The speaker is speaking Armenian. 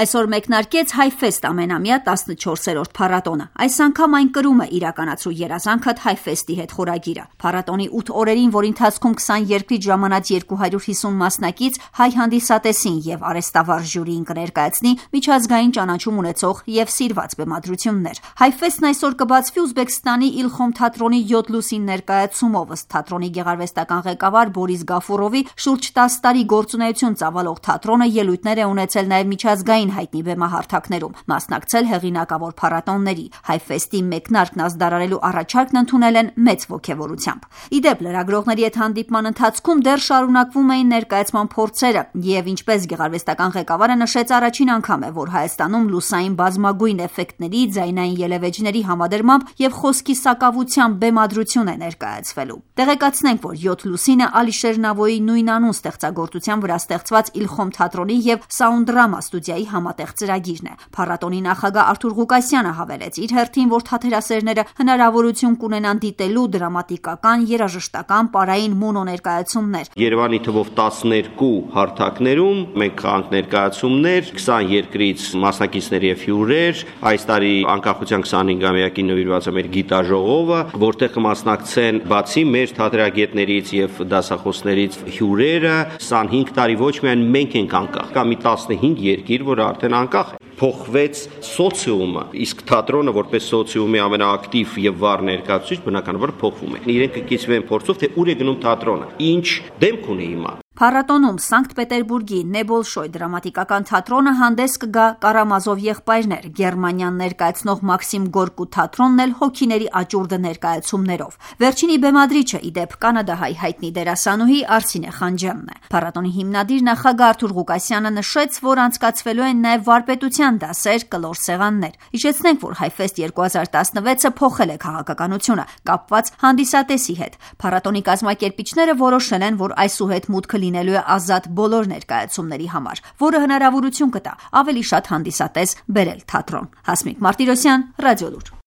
Այսօր մեկնարկեց Հայֆեստ ամենամյա 14-րդ փառատոնը։ Այս անգամ այն կրում է իրականացրու երազանքդ Հայֆեստի հետ խորագիրը։ Փառատոնի 8 օրերին, որի ընթացքում 20 երկրից ժամանած 250 մասնակից հայ հանդիսատեսին եւ արհեստավար ժյուրիին կներկայացնի միջազգային ճանաչում ունեցող եւ սիրված բեմադրություններ։ Հայֆեստն այսօր կբացվի Ուզբեկստանի Իլխոմ թատրոնի 7 լուսին ներկայացումով, ըստ թատրոնի գեղարվեստական ղեկավար Բորիս Գաֆուրովի, շուրջ 10 տարի գործունեություն ծավալող թատրոնը ելույթներ է ունեցել նաեւ միջազգային հայտնի բեմահարթակներում, մասնակցել հեղինակավոր փառատոնների։ Հայֆեստի մեկնարկն ազդարարելու առաջարկն ընդունել են մեծ ոգևորությամբ։ Իդեպ, լրագրողների հետ հանդիպման ընթացքում դեռ շարունակվում էին ներկայացման փորձերը, եւ ինչպես գեղարվեստական ղեկավարը նշեց, առաջին անգամ է, որ Հայաստանում լուսային բազմագույն էֆեկտների, ձայնային ելևէջների համադրմամբ եւ խոսքի սակավությամբ բեմադրություն է ներկայացվելու։ Տեղեկացնենք, որ 7 լուսինը Ալիշեր Նավոյի նույնանուն ստեղծագործության վրա ստեղծված Իլխոմ թատրոնի եւ Սաունդդրամա ստուդիայի համատեղ ծրագիրն է։ Փառատոնի նախագահ Արթուր Ղուկասյանը հավելեց իր հերթին, որ թատերասերները հնարավորություն կունենան դիտելու դրամատիկական, երաժշտական, պարային մոնոներկայացումներ։ Երևանի թվով 12 հարթակներում մենք կանք ներկայացումներ, 20 երկրից մասնակիցներ եւ հյուրեր։ Այս տարի անկախության 25-ամյակին նվիրված է մեր գիտաժողովը, որտեղ կմասնակցեն բացի մեր թատերագետներից եւ դասախոսներից հյուրերը, 25 տարի ոչ միայն մենք ենք անկախ, կա մի 15 երկիր, որ արդեն անկախ է։ Փոխվեց սոցիումը, իսկ թատրոնը որպես սոցիումի ամենաակտիվ եւ վառ ներկայացուցիչ բնականաբար փոխվում է։ Իրենք կկիցվեն փորձով, թե ուր է գնում թատրոնը, ինչ դեմք ունի հիմա։ Փառատոնում Սանկտ Պետերբուրգի Նեբոլշոյ դրամատիկական թատրոնը հանդես կգա Կարամազով եղբայրներ, Գերմանիան ներկայացնող Մաքսիմ Գորկու թատրոնն էլ հոգիների աճուրդը ներկայացումներով։ Վերջինի բեմադրիչը իդեպ կանադահայ հայտնի դերասանուհի Արսինե Խանջյանն է։ Փառատոնի հիմնադիր նախագահ Արթուր Ղուկասյանը նշեց, որ անցկացվելու են նաև վարպետության դասեր, կլոր սեղաններ։ Հիշեցնենք, որ Հայֆեստ 2016-ը փոխել է քաղաքականությունը, կապված հանդիսատեսի հետ։ Փառատոնի կազմակերպիչները որոշել են, որ այսուհետ մուտքը լինելու է ազատ բոլոր ներկայացումների համար, որը հնարավորություն կտա ավելի շատ հանդիսատես բերել թատրոն։ Հասմիկ Մարտիրոսյան, Ռադիոլուր։